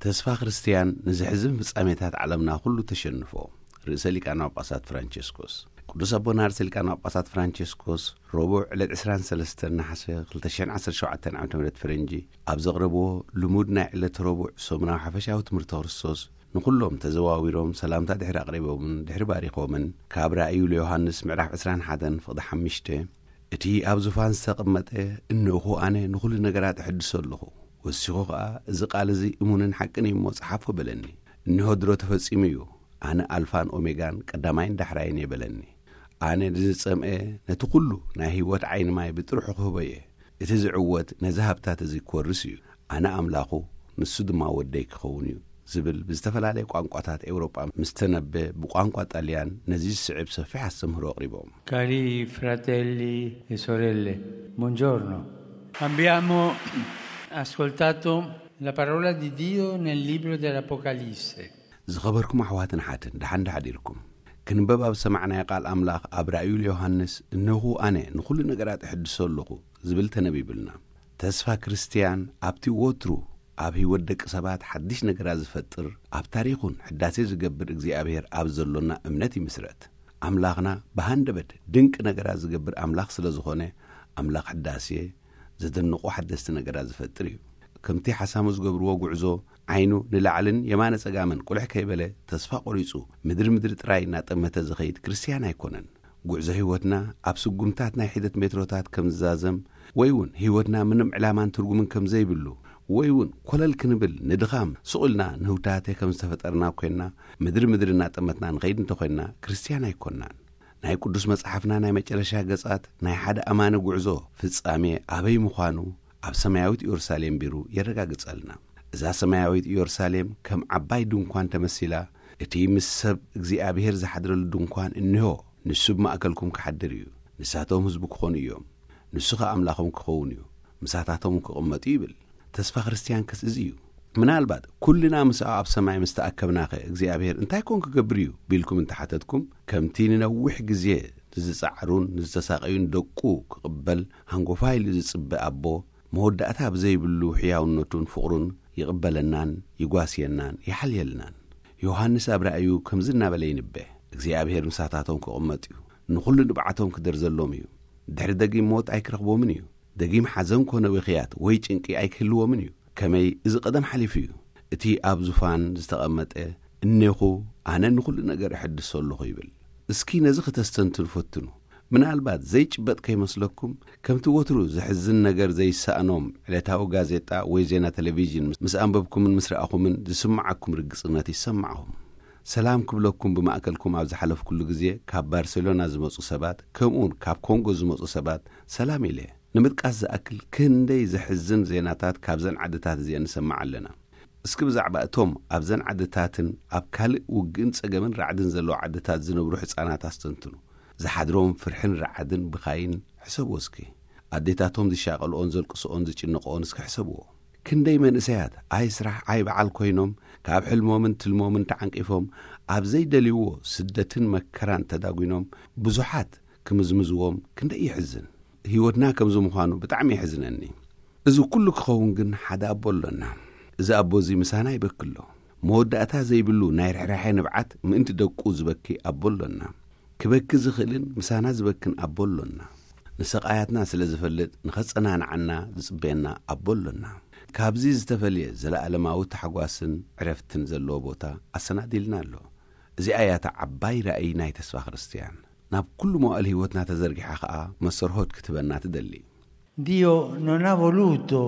ተስፋ ክርስትያን ንዝሕዝን ፍጻሜታት ዓለምና ኩሉ ተሸንፎ። ርእሰ ሊቃነ ጳጳሳት ፍራንቸስኮስ። ቅዱስ ኣቦና ርእሰ ሊቃነ ጳጳሳት ፍራንቸስኮስ ረቡዕ ዕለት ዕስራን ሰለስተን ነሓሰ ክልተ ሽሕን ዓሰርተ ሸውዓተን ዓመተ ምህረት ፈረንጂ ኣብ ዘቕረብዎ ልሙድ ናይ ዕለት ረቡዕ ሰሙናዊ ሓፈሻዊ ትምህርቲ ክርስቶስ ንኹሎም ተዘዋዊሮም ሰላምታ ድሕሪ ኣቕሪቦምን ድሕሪ ባሪኾምን ካብ ራእዩ ለዮሃንስ ምዕራፍ ዕስራን ሓደን ፍቕዲ ሓሙሽተ እቲ ኣብ ዙፋን ዝተቐመጠ እንሆ ኣነ ንኹሉ ነገራት እሕድሶ ኣለኹ። ወሲኹ ኸኣ እዚ ቃል እዚ እሙንን ሓቅን እዩ እሞ ጸሓፎ በለኒ። እንሆ ድሮ ተፈጺሙ እዩ። ኣነ ኣልፋን ኦሜጋን ቀዳማይን ዳሕራይን እየ በለኒ። ኣነ ንዝጸምአ ነቲ ኩሉ ናይ ህይወት ዓይኒ ማይ ብጥርሑ ክህቦ እየ። እቲ ዝዕወት ነዚ ሃብታት እዚ ክወርስ እዩ። ኣነ ኣምላኹ ንሱ ድማ ወደይ ክኸውን እዩ ዝብል ብዝተፈላለየ ቋንቋታት ኤውሮጳ ምስ ተነበ ብቋንቋ ጣልያን ነዚ ዝስዕብ ሰፊሕ ኣስተምህሮ ኣቕሪቦም። Cari fratelli e sorelle, buongiorno. Abbiamo ascoltato la parola di Dio nel libro dell'Apocalisse. ዝኸበርኩም ኣሕዋትን ሓትን ደሓን ዳሓዲርኩም። ክንበብ ኣብ ሰማዕናዮ ቃል ኣምላኽ ኣብ ራእዩ ለዮሃንስ እነኹ ኣነ ንኹሉ ነገራት እሕድሶ ኣለኹ ዝብል ተነቢብልና። ተስፋ ክርስትያን ኣብቲ ወትሩ ኣብ ህይወት ደቂ ሰባት ሓድሽ ነገራት ዝፈጥር ኣብ ታሪኹን ሕዳሴ ዝገብር እግዚኣብሔር ኣብ ዘሎና እምነት ይምስረት። ኣምላኽና ብሃንደበት ድንቂ ነገራት ዝገብር ኣምላኽ ስለ ዝኾነ ኣምላኽ ሕዳሴ ዘደንቑ ሓደስቲ ነገራት ዝፈጥር እዩ። ከምቲ ሓሳሙ ዝገብርዎ ጉዕዞ ዓይኑ ንላዕልን የማነ ጸጋምን ቁልሕ ከይበለ ተስፋ ቆሪጹ ምድሪ ምድሪ ጥራይ እናጠመተ ዝኸይድ ክርስትያን ኣይኮነን። ጉዕዞ ህይወትና ኣብ ስጉምታት ናይ ሒደት ሜትሮታት ከም ዝዛዘም ወይ እውን ህይወትና ምንም ዕላማን ትርጉምን ከም ዘይብሉ ወይ እውን ኮለል ክንብል ንድኻም ስቑልና ንህውታተ ከም ዝተፈጠርና ኮይንና ምድሪ ምድሪ እናጠመትና ንኸይድ እንተኾይንና ክርስትያን ኣይኮንናን። ናይ ቅዱስ መጽሓፍና ናይ መጨረሻ ገጻት ናይ ሓደ ኣማኒ ጉዕዞ ፍጻሜ ኣበይ ምዃኑ ኣብ ሰማያዊት ኢየሩሳሌም ቢሩ የረጋግጸልና። እዛ ሰማያዊት ኢየሩሳሌም ከም ዓባይ ድንኳን ተመሲላ እቲ ምስ ሰብ እግዚኣብሔር ዝሓድረሉ ድንኳን እንሆ ንሱ ብማእከልኩም ክሓድር እዩ። ንሳቶም ህዝቡ ክኾኑ እዮም። ንሱ ኸኣ ኣምላኾም ክኸውን እዩ። ምሳታቶም ክቕመጡ ይብል። ተስፋ ክርስትያን ከስ እዚ እዩ። ምናልባት ኩልና ምስኣ ኣብ ሰማይ ምስ ተኣከብናኸ እግዚኣብሔር እንታይ ኮን ክገብር እዩ ቢልኩም እንተሓተትኩም ከምቲ ንነዊሕ ግዜ ንዝጻዕሩን ንዝተሳቐዩን ደቁ ክቕበል ሃንጎፋ ኢሉ ዝጽበ ኣቦ መወዳእታ ብዘይብሉ ሕያውነቱን ፍቕሩን ይቕበለናን ይጓስየናን ይሓልየልናን። ዮሃንስ ኣብ ራእዩ ከምዚ እናበለ ይንበ እግዚኣብሔር ምሳታቶም ክቕመጥ እዩ። ንኹሉ ንብዓቶም ክደርዘሎም እዩ። ድሕሪ ደጊም ሞት ኣይክረኽቦምን እዩ። ደጊም ሓዘን ኮነ ብኽያት ወይ ጭንቂ ኣይክህልዎምን እዩ። ከመይ እዚ ቀደም ሓሊፉ እዩ። እቲ ኣብ ዙፋን ዝተቐመጠ እኔኹ ኣነ ንኹሉ ነገር እሕድሶ ኣለኹ ይብል። እስኪ ነዚ ክተስተንትኑ ፈትኑ። ምናልባት ዘይጭበጥ ከይመስለኩም ከምቲ ወትሩ ዘሕዝን ነገር ዘይሰኣኖም ዕለታዊ ጋዜጣ ወይ ዜና ቴሌቪዥን ምስ ኣንበብኩምን ምስ ረኣኹምን ዝስምዓኩም ርግጽነት ይሰማዕኹም። ሰላም ክብለኩም ብማእከልኩም ኣብ ዝሓለፍኩሉ ግዜ ካብ ባርሴሎና ዝመጹ ሰባት ከምኡውን ካብ ኮንጎ ዝመጹ ሰባት ሰላም ኢለ። ንምጥቃስ ዝኣክል ክንደይ ዘሕዝን ዜናታት ካብዘን ዓድታት እዚአን ንሰምዕ ኣለና። እስኪ ብዛዕባ እቶም ኣብዘን ዓድታትን ኣብ ካልእ ውግእን ጸገምን ራዕድን ዘለዉ ዓድታት ዝነብሩ ሕጻናት ኣስተንትኑ። ዝሓድሮም ፍርሕን ራዕድን ብኻይን ሕሰብዎ እስኪ። ኣዴታቶም ዝሻቐልኦን ዘልቅስኦን ዝጭነቕኦን እስኪ ሕሰብዎ። ክንደይ መንእሰያት ኣይ ስራሕ ኣይ በዓል ኮይኖም ካብ ሕልሞምን ትልሞምን ተዓንቂፎም ኣብ ዘይደልይዎ ስደትን መከራን ተዳጒኖም ብዙሓት ክምዝምዝዎም ክንደይ ይሕዝን። ህይወትና ከምዚ ምዃኑ ብጣዕሚ የሕዝነኒ። እዚ ኩሉ ክኸውን ግን ሓደ ኣቦ ኣሎና። እዚ ኣቦ እዚ ምሳና ይበኪ ኣሎ። መወዳእታ ዘይብሉ ናይ ርሕራሐ ንብዓት ምእንቲ ደቁ ዝበኪ ኣቦ ኣሎና። ክበኪ ዝኽእልን ምሳና ዝበክን ኣቦ ኣሎና። ንሰቓያትና ስለ ዝፈልጥ ንኸጸናንዓና ዝጽበየና ኣቦ ኣሎና። ካብዚ ዝተፈልየ ዘለኣለማዊ ታሕጓስን ዕረፍትን ዘለዎ ቦታ ኣሰናዲልና ኣሎ። እዚኣ እያ እታ ዓባይ ራእይ ናይ ተስፋ ክርስትያን። ናብ ኩሉ መዋእል ህይወትና ተዘርጊሓ ኸኣ መሰርሆት ክትበና ትደሊ። Dio non ha voluto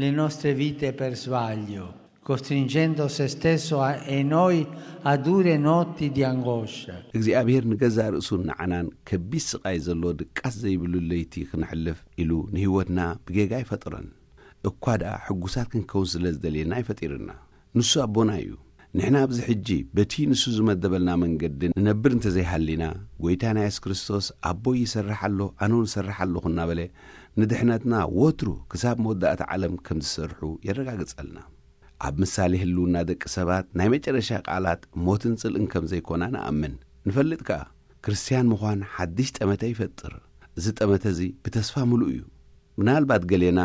le nostre vite per sbaglio, costringendo se stesso a- e noi a dure notti di angoscia. እግዚኣብሔር ንገዛእ ርእሱን ንዓናን ከቢድ ስቓይ ዘለዎ ድቃስ ዘይብሉ ለይቲ ክንሕልፍ ኢሉ ንህይወትና ብጌጋ ኣይፈጠሮን። እኳ ደኣ ሕጉሳት ክንከውን ስለ ዝደልየና ኣይፈጢርና። ንሱ ኣቦና እዩ። ንሕና ኣብዚ ሕጂ በቲ ንሱ ዝመደበልና መንገዲ ንነብር እንተዘይሃሊና፣ ጐይታና የሱስ ክርስቶስ ኣቦይ ይሰርሕ ኣሎ፣ ኣነ እውን እሰርሕ ኣለኹ እናበለ ንድሕነትና ወትሩ ክሳብ መወዳእታ ዓለም ከም ዝሰርሑ የረጋግጸልና። ኣብ ምሳሌ ህልውና ደቂ ሰባት ናይ መጨረሻ ቃላት ሞትን ጽልእን ከም ዘይኮና ንኣምን። ንፈልጥ ከኣ፣ ክርስትያን ምዃን ሓድሽ ጠመተ ይፈጥር። እዚ ጠመተ እዚ ብተስፋ ምሉእ እዩ። ምናልባት ገሌና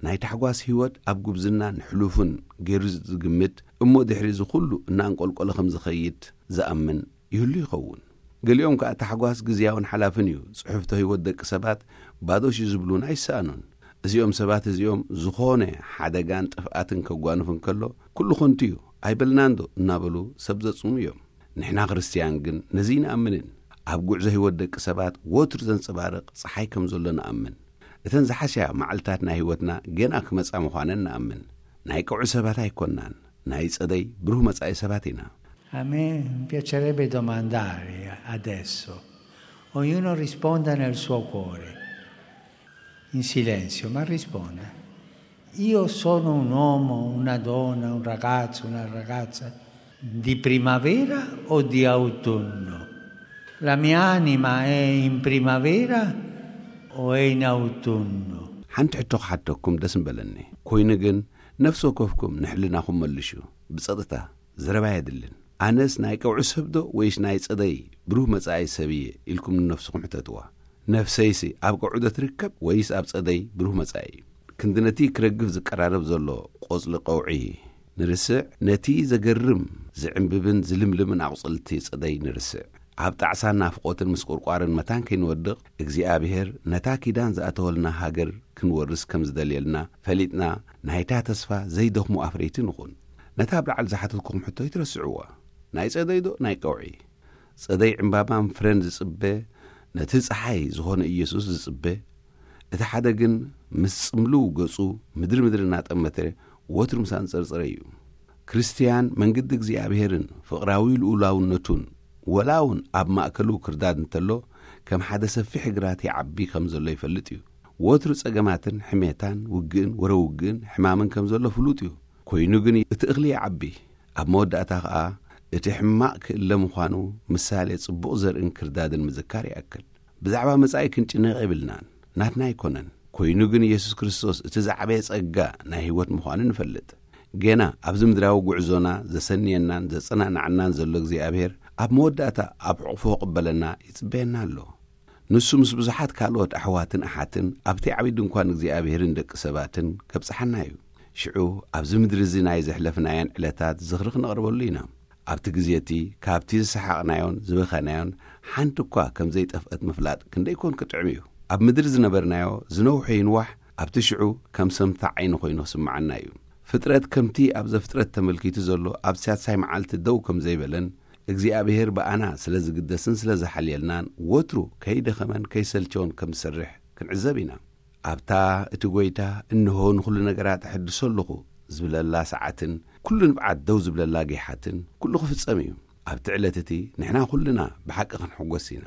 ናይ ታሕጓስ ህይወት ኣብ ጉብዝናን ሕሉፍን ገይሩ ዝግምት፣ እሞ ድሕሪ እዚ ኩሉ እናንቆልቆለ ከም ዝኸይድ ዝኣምን ይህሉ ይኸውን። ገሊኦም ከኣ ታሕጓስ ግዝያውን ሓላፍን እዩ፣ ጽሑፍቶ ህይወት ደቂ ሰባት ባዶሽ እዩ ዝብሉን ኣይሰኣኑን። እዚኦም ሰባት እዚኦም ዝኾነ ሓደጋን ጥፍኣትን ከጓንፍ እንከሎ፣ ኩሉ ኸንቱ እዩ ኣይበልናንዶ እናበሉ ሰብ ዘጽሙ እዮም። ንሕና ክርስትያን ግን ነዚ ንኣምንን ኣብ ጉዕዞ ህይወት ደቂ ሰባት ወትሩ ዘንጸባርቕ ጸሓይ ከም ዘሎ ንኣምን። እተን ዝሓስያ መዓልታት ናይ ህይወትና ገና ክመጻ ምዃነን ንኣምን። ናይ ቀውዒ ሰባት ኣይኮናን፣ ናይ ጸደይ ብሩህ መጻኢ ሰባት ኢና። A me piacerebbe domandare adesso, ognuno risponda nel suo cuore, in silenzio, ma risponda. Io sono un uomo, una donna, un ragazzo, una ragazza di primavera o di autunno? La mia anima è in primavera o è in autunno? ሓንቲ ሕቶ ክሓተኩም ደስ ምበለኒ። ኮይኑ ግን፣ ነፍሲ ወከፍኩም ንሕልናኹም መልሹ። ብጸጥታ፣ ዘረባ የድልን። ኣነስ ናይ ቀውዒ ሰብ ዶ ወይስ ናይ ጸደይ ብሩህ መጻኢ ሰብ እየ ኢልኩም ንነፍስኹም ሕተትዋ። ነፍሰይሲ ኣብ ቀውዒ ዶ ትርከብ ወይስ ኣብ ጸደይ ብሩህ መጻኢ? ክንዲ ነቲ ክረግፍ ዝቀራረብ ዘሎ ቆጽሊ ቀውዒ ንርስዕ፣ ነቲ ዘገርም ዝዕምብብን ዝልምልምን ኣቑጽልቲ ጸደይ ንርስዕ። ኣብ ጣዕሳን ናፍቖትን ምስ ቁርቋርን መታን ከይንወድቕ፣ እግዚኣብሔር ነታ ኪዳን ዝኣተወልና ሃገር ክንወርስ ከም ዝደልየልና ፈሊጥና፣ ናይታ ተስፋ ዘይደኽሙ ኣፍረይቲ ንኹን። ነታ ኣብ ላዕሊ ዝሓተትኩም ሕቶ ይትረስዕዋ። ናይ ጸደይ ዶ ናይ ቀውዒ? ጸደይ ዕምባባን ፍረን ዝጽበ፣ ነቲ ጸሓይ ዝኾነ ኢየሱስ ዝጽበ። እቲ ሓደ ግን ምስ ጽምልው ገጹ ምድሪ ምድሪ እናጠመተ ወትሩ ምስ ኣንጸርጸረ እዩ። ክርስትያን መንገዲ እግዚኣብሔርን ፍቕራዊ ልኡላውነቱን፣ ወላ እውን ኣብ ማእከሉ ክርዳድ እንተሎ፣ ከም ሓደ ሰፊሕ ግራት ይዓቢ ከም ዘሎ ይፈልጥ እዩ። ወትሩ ጸገማትን ሕሜታን፣ ውግእን ወረ ውግእን ሕማምን ከም ዘሎ ፍሉጥ እዩ። ኮይኑ ግን እቲ እኽሊ ይዓቢ። ኣብ መወዳእታ ኸኣ እቲ ሕማቕ ክእለ ምዃኑ ምሳሌ ጽቡቕ ዘርእን ክርዳድን ምዝካር ይኣክል። ብዛዕባ መጻኢ ክንጭነቕ የብልናን፣ ናትና ኣይኮነን። ኮይኑ ግን ኢየሱስ ክርስቶስ እቲ ዝዓበየ ጸጋ ናይ ህይወት ምዃኑ ንፈልጥ። ገና ኣብዚ ምድራዊ ጉዕዞና ዘሰንየናን ዘጸናንዓናን ዘሎ እግዚኣብሔር ኣብ መወዳእታ ኣብ ሕቑፎ ክቕበለና ይጽበየና ኣሎ። ንሱ ምስ ብዙሓት ካልኦት ኣሕዋትን ኣሓትን ኣብቲ ዓብዪ ድንኳን እግዚኣብሔርን ደቂ ሰባትን ከብጽሓና እዩ። ሽዑ ኣብዚ ምድሪ እዚ ናይ ዘሕለፍናየን ዕለታት ዝኽሪ ክነቕርበሉ ኢና። ኣብቲ ግዜ እቲ ካብቲ ዝሰሓቕናዮን ዝበኸናዮን ሓንቲ እኳ ከም ዘይጠፍአት ምፍላጥ ክንደይ ኮን ክጥዕም እዩ። ኣብ ምድሪ ዝነበርናዮ ዝነውሐ ይንዋሕ ኣብቲ ሽዑ ከም ሰምታ ዓይኒ ኮይኑ ክስምዓና እዩ። ፍጥረት ከምቲ ኣብ ዘፍጥረት ተመልኪቱ ዘሎ ኣብ ሳልሳይ መዓልቲ ደው ከም ዘይበለን እግዚኣብሔር ብኣና ስለ ዝግደስን ስለ ዝሓልየልናን ወትሩ ከይደኸመን ከይሰልቸውን ከም ዝሰርሕ ክንዕዘብ ኢና። ኣብታ እቲ ጐይታ እንሆ ንኹሉ ነገራት እሕድሶ ኣለኹ ዝብለላ ሰዓትን ኩሉ ንብዓት ደው ዝብለላ ጌሓትን ኩሉ ክፍጸም እዩ። ኣብቲ ዕለት እቲ ንሕና ኩልና ብሓቂ ክንሕጎስ ኢና።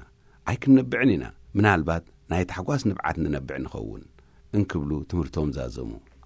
ኣይክንነብዕን ኢና። ምናልባት ናይ ታሕጓስ ንብዓት ንነብዕ ንኸውን እንክብሉ ትምህርቶም ዛዘሙ።